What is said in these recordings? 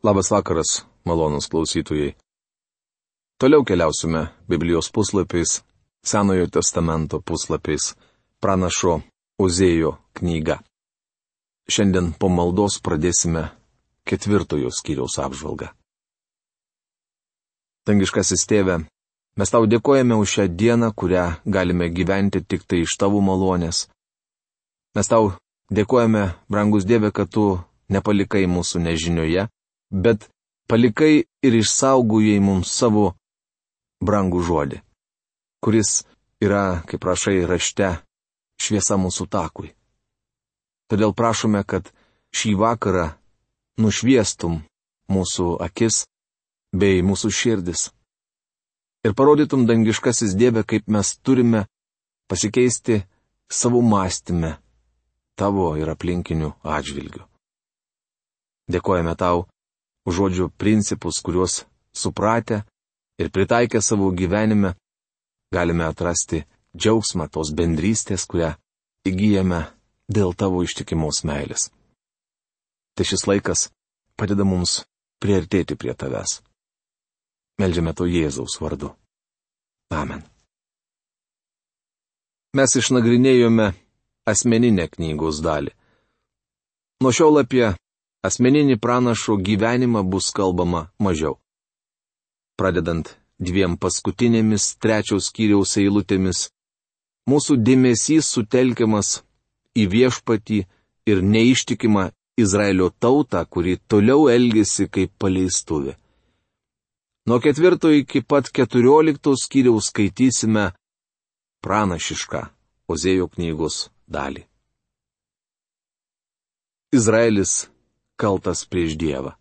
Labas vakaras, malonūs klausytojai. Toliau keliausime Biblijos puslapiais, Senojo testamento puslapiais, pranašo Ozėjo knyga. Šiandien po maldos pradėsime 4 skyriaus apžvalgą. Dangiškasis Tėve, mes tau dėkojame už šią dieną, kurią galime gyventi tik tai iš tavo malonės. Mes tau dėkojame, brangus Dieve, kad tu nepalikai mūsų nežinioje, bet palikai ir išsaugojai mums savo brangų žodį, kuris yra, kaip rašai rašte, šviesa mūsų takui. Todėl prašome, kad šį vakarą nušviestum mūsų akis bei mūsų širdis ir parodytum, dangiškasis Dieve, kaip mes turime pasikeisti savo mąstyme tavo ir aplinkinių atžvilgių. Dėkojame tau už žodžių principus, kuriuos supratę ir pritaikę savo gyvenime galime atrasti džiaugsmą tos bendrystės, kurią įgyjame dėl tavo ištikimos meilės. Tai šis laikas padeda mums priartėti prie tavęs. Meldžiame to Jėzaus vardu. Amen. Mes išnagrinėjome asmeninę knygos dalį. Nuo šiol apie asmeninį pranašo gyvenimą bus kalbama mažiau. Pradedant 2 paskutinėmis 3 skyriaus eilutėmis, mūsų dėmesys sutelkiamas į viešpatį ir neištikimą Izraelio tautą, kuri toliau elgėsi kaip paleistuvė. Nuo 4 iki pat 14 skyriaus skaitysime pranašišką Ozėjo knygos dalį. Izraelis kaltas prieš Dievą.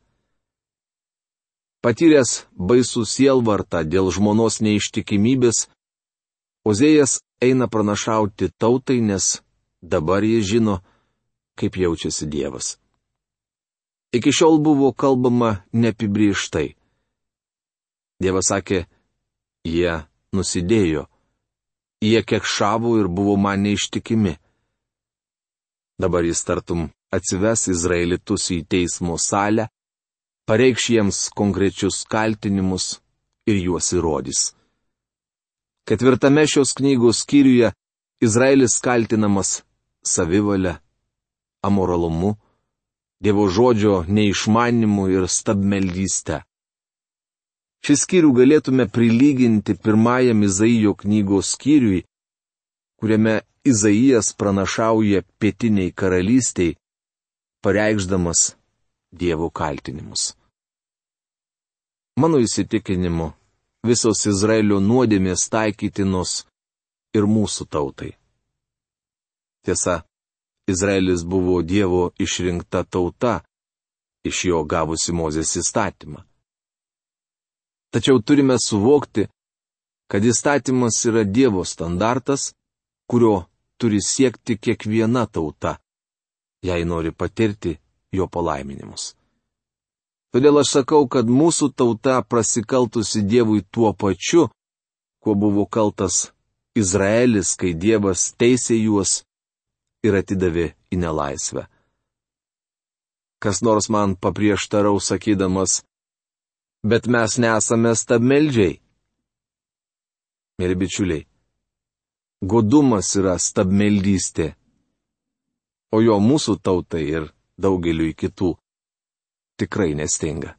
Patyręs baisų sielvartą dėl žmonos neištikimybės, Ozėjas eina pranašauti tautai, nes dabar jie žino, kaip jaučiasi Dievas. Iki šiol buvo kalbama neapibrėžtai. Dievas sakė, jie nusidėjo, jie kekšavo ir buvo man neištikimi. Dabar jis tartum atsives izraelitus į teismo salę, pareikš jiems konkrečius kaltinimus ir juos įrodys. 4 šios knygos skyriuje Izraelis kaltinamas savivalia, amoralumu, Dievo žodžio neišmanimu ir stabmeldyste. Šį skyrių galėtume prilyginti 1 Izaijo knygos skyriui, kuriame Izaijas pranašauja pietiniai karalystiai, pareikšdamas Dievo kaltinimus. Mano įsitikinimu, visos Izraelio nuodėmės taikytinos ir mūsų tautai. Tiesa, Izraelis buvo Dievo išrinkta tauta, iš jo gavusi Mozės įstatymą. Tačiau turime suvokti, kad įstatymas yra Dievo standartas, kurio turi siekti kiekviena tauta, jei nori patirti jo palaiminimus. Todėl aš sakau, kad mūsų tauta prasikaltusi Dievui tuo pačiu, kuo buvo kaltas Izraelis, kai Dievas teisė juos ir atidavė į nelaisvę. Kas nors man paprieštaraus sakydamas, bet mes nesame stabmeldžiai. Mėly bičiuliai, godumas yra stabmeldystė, o jo mūsų tautai ir daugeliui kitų tikrai nestinga.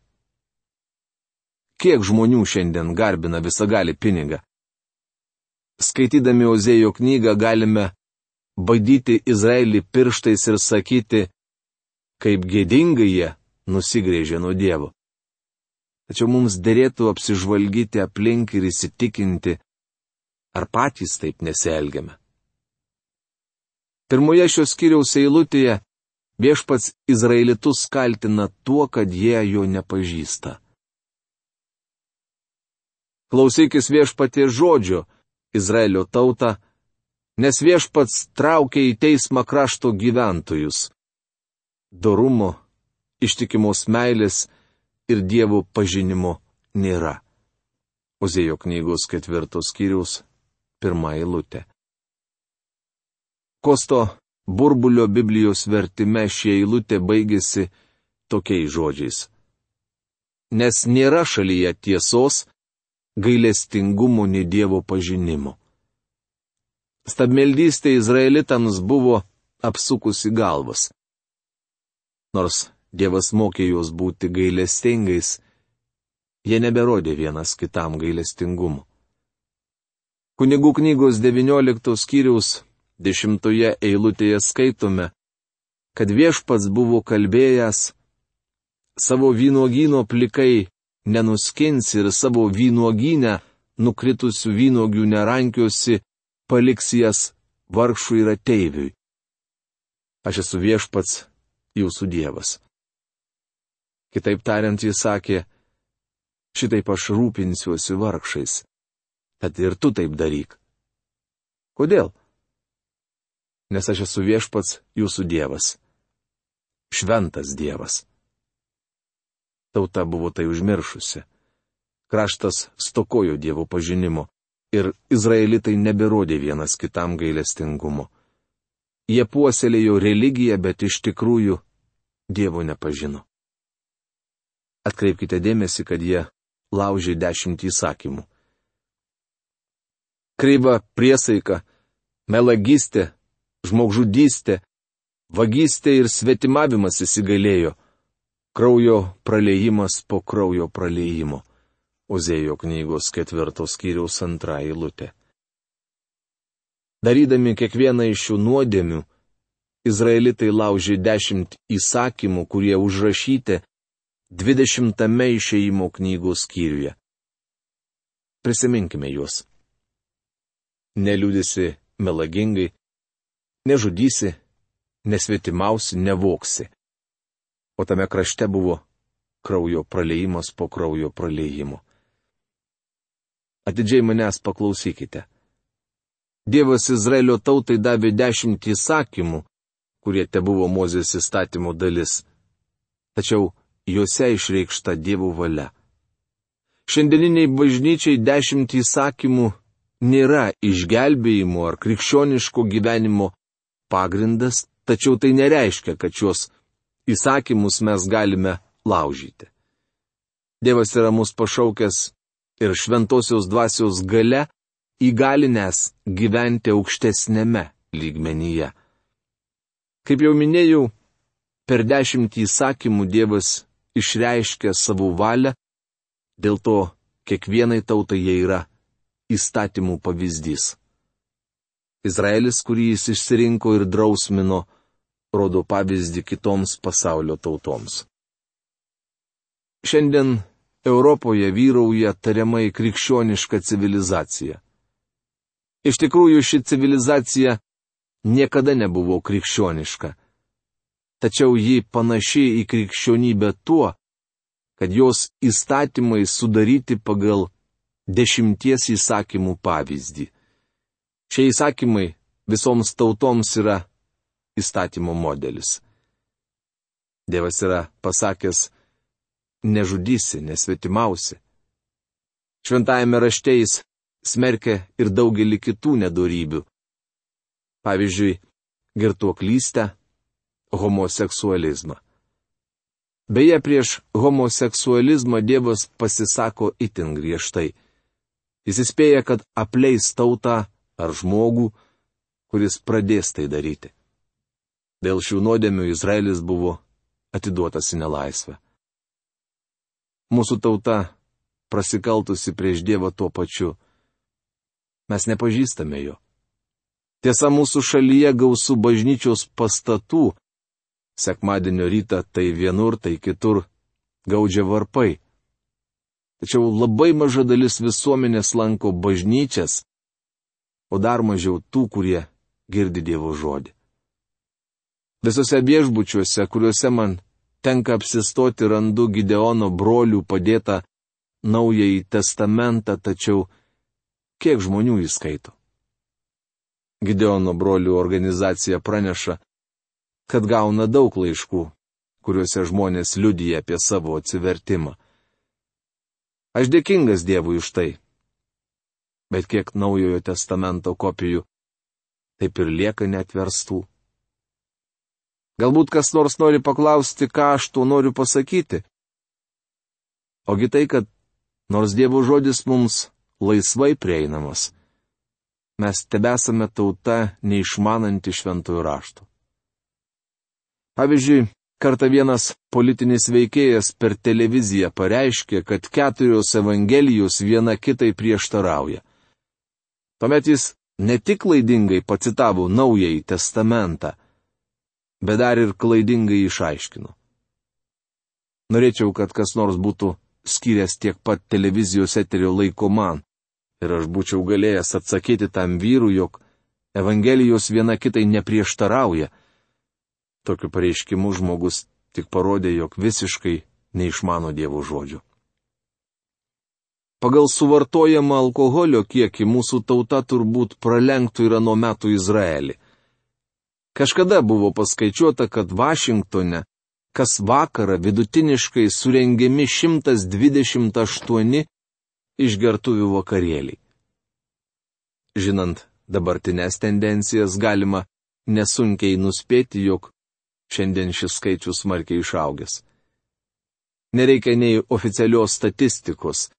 Kiek žmonių šiandien garbina visagalį pinigą? Skaitydami Ozėjo knygą galime badyti Izraelį pirštais ir sakyti, kaip gėdingai jie nusigrėžė nuo Dievo. Tačiau mums derėtų apsižvalgyti aplink ir įsitikinti, ar patys taip nesielgiame. 1 šios skyriaus eilutėje viešpats izraelitus kaltina tuo, kad jie jo nepažįsta. Klausykis viešpaties žodžio, Izraelio tauta, nes viešpats traukia į teismą krašto gyventojus. Dorumo, ištikimos meilės ir Dievo pažinimo nėra. Ozėjo knygos 4 skyriaus 1 eilutė. Kosto Burbulio Biblijos vertime ši eilutė baigėsi tokiais žodžiais. nes nėra šalyje tiesos, gailestingumo nei Dievo pažinimo. Stabmeldystė izraelitams buvo apsukusi galvas. Nors Dievas mokė juos būti gailestingais, jie neberodė vienas kitam gailestingumu. Kunigų knygos 19 skyriaus 10 eilutėje skaitome, kad Viešpats buvo kalbėjęs: savo vynuogyno plikai nenuskinsi ir savo vynuogynę nukritusių vynuogių nerankiosi, paliks jas vargšui ir ateiviui. Aš esu Viešpats, jūsų Dievas. Kitaip tariant, jis sakė: šitaip aš rūpinsiuosi vargšais. Tad ir tu taip daryk. Kodėl? Nes aš esu Viešpats, jūsų Dievas. Šventas Dievas. Tauta buvo tai užmiršusi. Kraštas stokojo Dievo pažinimo ir izraelitai neberodė vienas kitam gailestingumo. Jie puoselėjo religiją, bet iš tikrųjų Dievo nepažino. Atkreipkite dėmesį, kad jie laužė 10 įsakymų. Kreiva priesaika, melagystė, žmogžudystė, vagystė ir svetimavimas įsigalėjo. Kraujo praleijimas po kraujo praleijimo. Ozėjo knygos 4 skyriaus 2 eilutė. Darydami kiekvieną iš šių nuodėmių, izraelitai laužė 10 įsakymų, kurie užrašyti 20 išėjimo knygos skyriuje. Prisiminkime juos. Neliūdėsi melagingai, nežudysi, nesvetimausi, nevoksi. O tame krašte buvo kraujo praleijimas po kraujo praleijimo. Atidžiai manęs paklausykite. Dievas Izraelio tautai davė 10 įsakymų, kurie tebuvo Mozės įstatymo dalis. Tačiau juose išreikšta Dievo valia. Šiandieniniai bažnyčiai 10 įsakymų nėra išgelbėjimo ar krikščioniško gyvenimo pagrindas, tačiau tai nereiškia, kad šios įsakymus mes galime laužyti. Dievas yra mus pašaukęs ir šventosios dvasios gale įgalinęs gyventi aukštesnėme lygmenyje. Kaip jau minėjau, per 10 įsakymų Dievas išreiškia savo valią, dėl to kiekvienai tautai jie yra įstatymų pavyzdys. Izraelis, kurį jis išsirinko ir drausmino, rodo pavyzdį kitoms pasaulio tautoms. Šiandien Europoje vyrauja tariamai krikščioniška civilizacija. Iš tikrųjų, ši civilizacija niekada nebuvo krikščioniška. Tačiau ji panaši į krikščionybę tuo, kad jos įstatymai sudaryti pagal 10 įsakymų pavyzdį. Šie įsakymai visoms tautoms yra įstatymo modelis. Dievas yra pasakęs: nežudysi, nesvetimausi. Šventajame rašte jis smerkia ir daugelį kitų nedorybių. Pavyzdžiui, girtuoklystę, homoseksualizmą. Beje, prieš homoseksualizmą Dievas pasisako itin griežtai. Jis įspėja, kad apleis tautą ar žmogų, kuris pradės tai daryti. Dėl šių nuodėmių Izraelis buvo atiduotas į nelaisvę. Mūsų tauta prasikaltusi prieš Dievą tuo pačiu. Mes nepažįstame jo. Tiesa, mūsų šalyje gausu bažnyčios pastatų. Sekmadienio rytą tai vienur, tai kitur gaudžia varpai. Tačiau labai maža dalis visuomenės lanko bažnyčias, o dar mažiau tų, kurie girdi Dievo žodį. Visose viešbučiuose, kuriuose man tenka apsistoti, randu Gideono brolių padėtą Naująjį testamentą, tačiau kiek žmonių jį skaito? Gideono brolių organizacija praneša, kad gauna daug laiškų, kuriuose žmonės liudija apie savo atsivertimą. Aš dėkingas Dievui už tai. Bet kiek Naujojo testamento kopijų taip ir lieka neatverstų. Galbūt kas nors nori paklausti, ką aš tuo noriu pasakyti. Ogi tai, kad nors Dievo žodis mums laisvai prieinamas, mes tebesame tauta neišmananti šventųjų raštų. Pavyzdžiui, kartą vienas politinis veikėjas per televiziją pareiškė, kad 4 evangelijos viena kitai prieštarauja. Tuomet jis ne tik klaidingai pacitavo Naująjį testamentą, bet dar ir klaidingai išaiškino. Norėčiau, kad kas nors būtų skyręs tiek pat televizijos eterio laiko man, ir aš būčiau galėjęs atsakyti tam vyrui, jog evangelijos viena kitai neprieštarauja. Tokiu pareiškimu žmogus tik parodė, jog visiškai neišmano Dievo žodžių. Pagal suvartojamą alkoholio kiekį mūsų tauta turbūt pralenktų ir ano metų Izraelį. Kažkada buvo paskaičiuota, kad Vašingtone kas vakarą vidutiniškai surengiami 128 išgertuvių vakarėliai. Žinant dabartinės tendencijas, galima nesunkiai nuspėti, jog šiandien šis skaičius smarkiai išaugęs. Nereikia nei oficialios statistikos.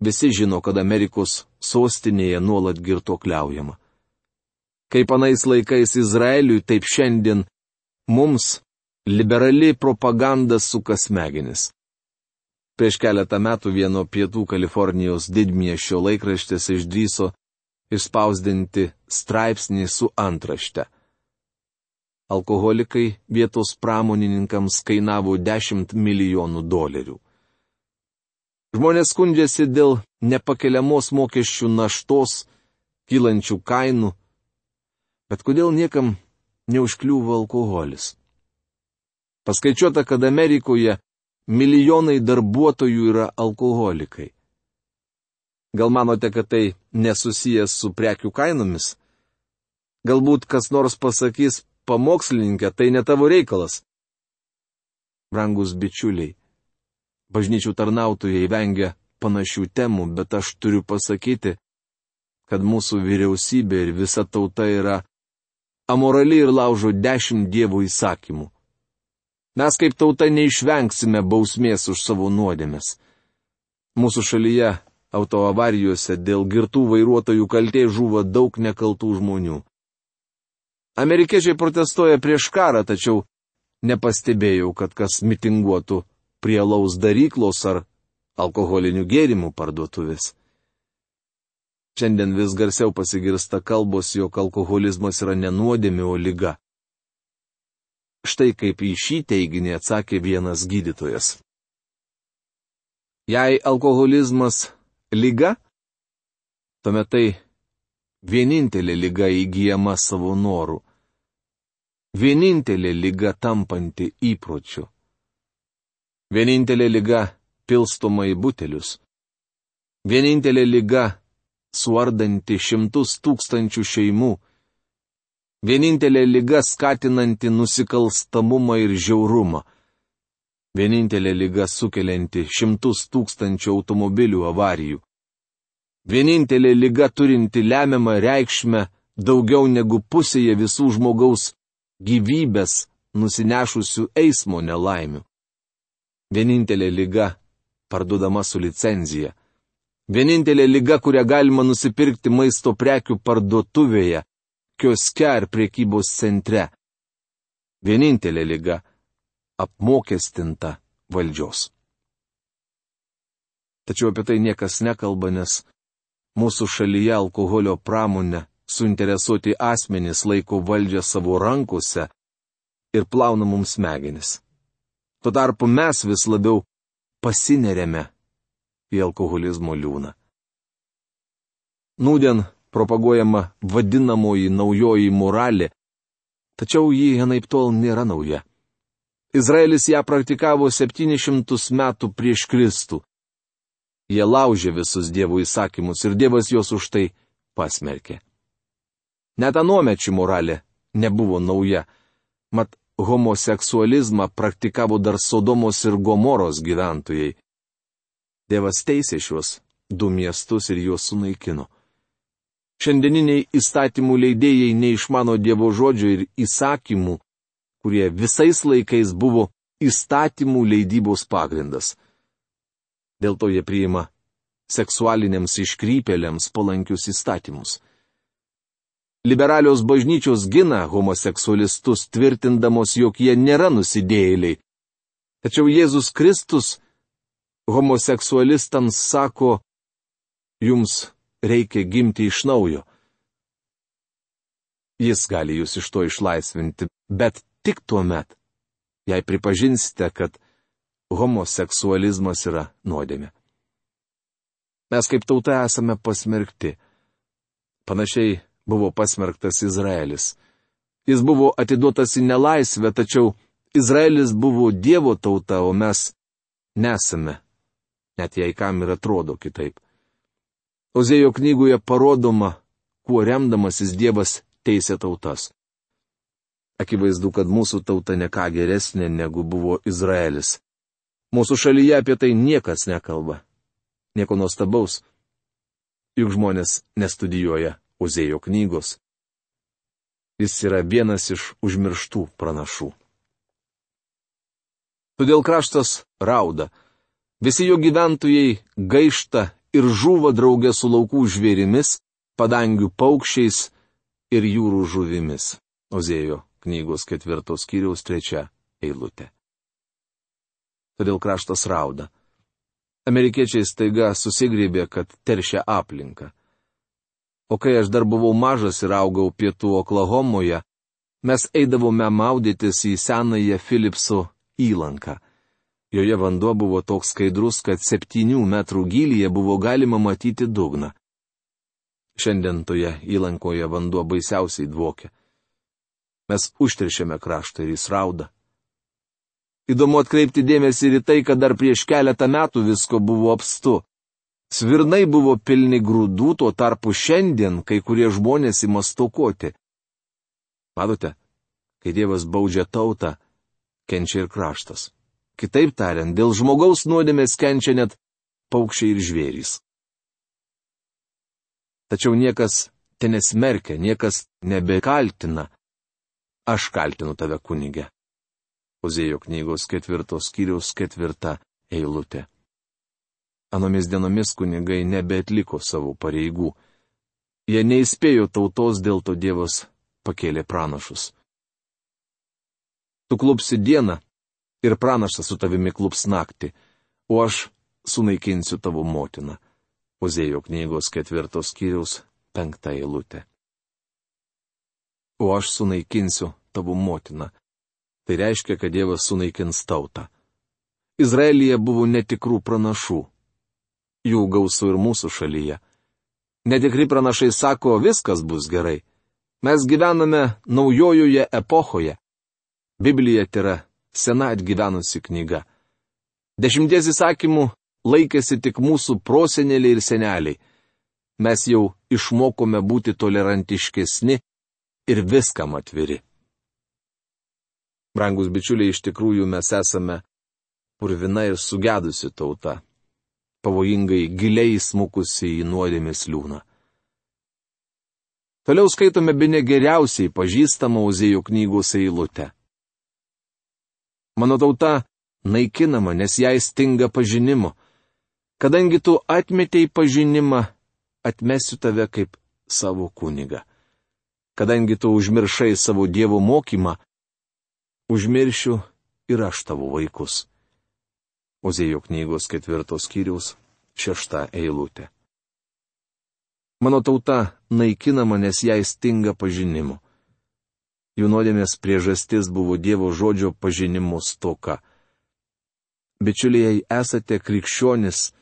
Visi žino, kad Amerikos sostinėje nuolat girtuokliaujama. Kaip anais laikais Izraeliui, taip šiandien mums liberali propaganda suka smegenis. Prieš keletą metų vieno pietų Kalifornijos didmiesčio laikraštis išdrįso išspausdinti straipsnį su antrašte. Alkoholikai vietos pramonininkams kainavo $10 milijonų. Žmonės skundžiasi dėl nepakeliamos mokesčių naštos, kylančių kainų, bet kodėl niekam neužkliūva alkoholis? Paskaičiuota, kad Amerikoje milijonai darbuotojų yra alkoholikai. Gal manote, kad tai nesusijęs su prekių kainomis? Galbūt kas nors pasakys, pamokslininkė, tai ne tavo reikalas. Brangus bičiuliai, bažnyčių tarnautojai vengia panašių temų, bet aš turiu pasakyti, kad mūsų vyriausybė ir visa tauta yra amorali ir laužo 10 Dievo įsakymų. Mes kaip tauta neišvengsime bausmės už savo nuodėmes. Mūsų šalyje autoavarijose dėl girtų vairuotojų kaltės žūva daug nekaltų žmonių. Amerikiečiai protestuoja prieš karą, tačiau nepastebėjau, kad kas mitinguotų prie alaus daryklos ar alkoholinių gėrimų parduotuvės. Šiandien vis garsiau pasigirsta kalbos, jog alkoholizmas yra ne nuodėmė, o liga. Štai kaip į šį teiginį atsakė vienas gydytojas. Jei alkoholizmas liga, tuomet tai vienintelė liga įgyjama savo norų. Vienintelė liga tampanti įpročiu. Vienintelė liga pilstoma į butelius. Vienintelė liga suardanti 100 000 šeimų. Vienintelė liga skatinanti nusikalstamumą ir žiaurumą. Vienintelė liga sukelianti 100 000 automobilių avarijų. Vienintelė liga turinti lemiamą reikšmę daugiau negu pusėje visų žmogaus gyvybės nusinešusių eismo nelaimių. Vienintelė liga parduodama su licenzija. Vienintelė liga, kurią galima nusipirkti maisto prekių parduotuvėje, kioske ar prekybos centre. Vienintelė liga apmokestinta valdžios. Tačiau apie tai niekas nekalba, nes mūsų šalyje alkoholio pramonę suinteresuoti asmenys laiko valdžią savo rankose ir plauna mums smegenis. Tuo tarpu mes vis labiau pasineriame į alkoholizmo liūną. Nūdien propaguojama vadinamoji naujoji moralė, tačiau ji anaiptol nėra nauja. Izraelis ją praktikavo 700 metų prieš Kristų. Jie laužė visus Dievo įsakymus ir Dievas juos už tai pasmerkė. Net anuomečių moralė nebuvo nauja, mat homoseksualizmą praktikavo dar Sodomos ir Gomoros gyventojai. Dievas teisė šiuos 2 miestus ir juos sunaikino. Šiandieniniai įstatymų leidėjai neišmano Dievo žodžio ir įsakymų, kurie visais laikais buvo įstatymų leidybos pagrindas. Dėl to jie priima seksualiniams iškrypėliams palankius įstatymus. Liberalios bažnyčios gina homoseksualistus, tvirtindamos, jog jie nėra nusidėjėliai. Tačiau Jėzus Kristus homoseksualistams sako, jums reikia gimti iš naujo. Jis gali jūs iš to išlaisvinti, bet tik tuo met, jei pripažinsite, kad homoseksualizmas yra nuodėmė. Mes kaip tauta esame pasmerkti. Panašiai buvo pasmerktas Izraelis. Jis buvo atiduotas į nelaisvę, tačiau Izraelis buvo Dievo tauta, o mes nesame, net jei kam ir atrodo kitaip. Ozėjo knygoje parodoma, kuo remdamasis Dievas teisė tautas. Akivaizdu, kad mūsų tauta ne ką geresnė negu buvo Izraelis. Mūsų šalyje apie tai niekas nekalba. Nieko nuostabaus, juk žmonės nestudijuoja Ozėjo knygos. Jis yra vienas iš užmirštų pranašų. Todėl kraštas rauda. Visi jo gyventojai gaišta ir žūva draugė su laukų žvėrimis, padangių paukščiais ir jūrų žuvimis. Ozėjo knygos 4 skyriaus 3 eilutė. Todėl kraštas rauda. Amerikiečiai staiga susigrėbė, kad teršia aplinką. O kai aš dar buvau mažas ir augau pietų Oklahomoje, mes eidavome maudytis į senąją Philipso įlanką. Joje vanduo buvo toks skaidrus, kad 7 metrų gylyje buvo galima matyti dugną. Šiandien toje įlankoje vanduo baisiausiai dvokia. Mes užteršėme kraštą ir jis rauda. Įdomu atkreipti dėmesį ir į tai, kad dar prieš keletą metų visko buvo apstu. Svirnai buvo pilni grūdų, tuo tarpu šiandien kai kurie žmonės ima stokoti. Matote, kai Dievas baudžia tautą, kenčia ir kraštas. Kitaip tariant, dėl žmogaus nuodėmės kenčia net paukščiai ir žvėrys. Tačiau niekas te nesmerkia, niekas nebekaltina. Aš kaltinu tave, kunige. Ozėjo knygos 4 skyriaus 4 eilutė. Anomis dienomis kunigai nebeatliko savo pareigų. Jie neįspėjo tautos, dėl to Dievas pakėlė pranašus. Tu klupsi dieną ir pranašas su tavimi klups naktį, o aš sunaikinsiu tavo motiną. Ozėjo knygos 4 skyriaus 5 eilutė. O aš sunaikinsiu tavo motiną. Tai reiškia, kad Dievas sunaikins tautą. Izraelyje buvo netikrų pranašų. Jų gausu ir mūsų šalyje. Netikri pranašai sako, viskas bus gerai. Mes gyvename naujojoje epochoje. Biblija yra sena atgyvenusi knyga. 10 įsakymų laikėsi tik mūsų proseneliai ir seneliai. Mes jau išmokome būti tolerantiškesni ir viskam atviri. Brangus bičiuliai, iš tikrųjų mes esame purvina ir sugedusi tauta, pavojingai giliai smukusi į nuodėmės liūną. Toliau skaitome bene geriausiai pažįstamą Ozėjo knygos eilutę. Mano tauta naikinama, nes jai stinga pažinimo. Kadangi tu atmetei pažinimą, atmesiu tave kaip savo kunigą. Kadangi tu užmiršai savo Dievo mokymą, užmiršiu ir aš tavo vaikus. Ozėjo knygos 4 skyriaus 6 eilutė. Mano tauta naikinama, nes jai stinga pažinimo. Jų nuodėmės priežastis buvo Dievo žodžio pažinimo stoka. Bičiuliai, esate krikščionis,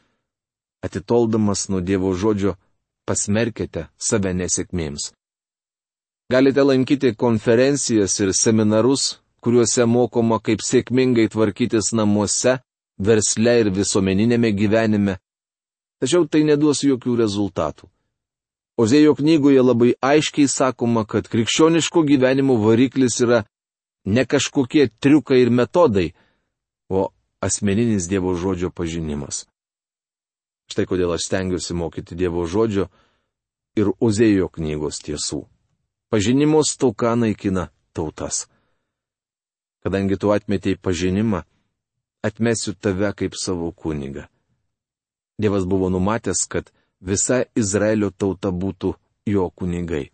atitoldamas nuo Dievo žodžio, pasmerkite save nesėkmėms. Galite lankyti konferencijas ir seminarus, kuriuose mokoma, kaip sėkmingai tvarkytis namuose, versle ir visuomeninėme gyvenime, tačiau tai neduos jokių rezultatų. Ozėjo knygoje labai aiškiai sakoma, kad krikščioniško gyvenimo variklis yra ne kažkokie triukai ir metodai, o asmeninis Dievo žodžio pažinimas. Štai kodėl aš stengiuosi mokyti Dievo žodžio ir Ozėjo knygos tiesų. Pažinimo stoka naikina tautas. Kadangi tu atmetei pažinimą, atmesiu tave kaip savo kunigą. Dievas buvo numatęs, kad visa Izraelio tauta būtų jo kunigai.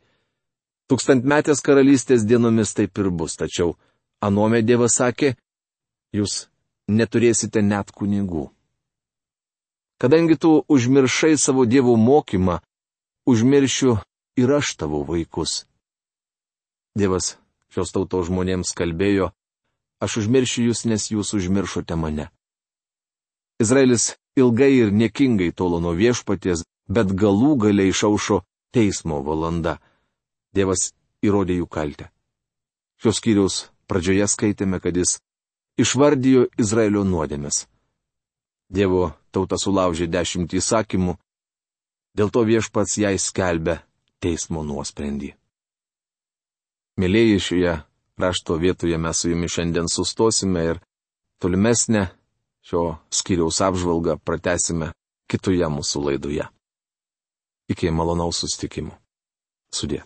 Tūkstantmetės karalystės dienomis taip ir bus, tačiau anuomet Dievas sakė, jūs neturėsite net kunigų. Kadangi tu užmiršai savo Dievo mokymą, užmiršiu ir aš tavo vaikus. Dievas šios tautos žmonėms kalbėjo, aš užmiršiu jūs, nes jūs užmiršote mane. Izraelis ilgai ir niekingai tolo nuo viešpaties, bet galų galiai išaušo teismo valanda. Dievas įrodė jų kaltę. Šios skyriaus pradžioje skaitėme, kad jis išvardijo Izraelio nuodėmes. Dievo tauta sulaužė 10 įsakymų, dėl to viešpats jai skelbia teismo nuosprendį. Mėlyjeji, šioje rašto vietoje mes su jumis šiandien sustosime ir tolimesnę šio skyriaus apžvalgą pratęsime kitoje mūsų laidoje. Iki malonaus susitikimo. Sudie.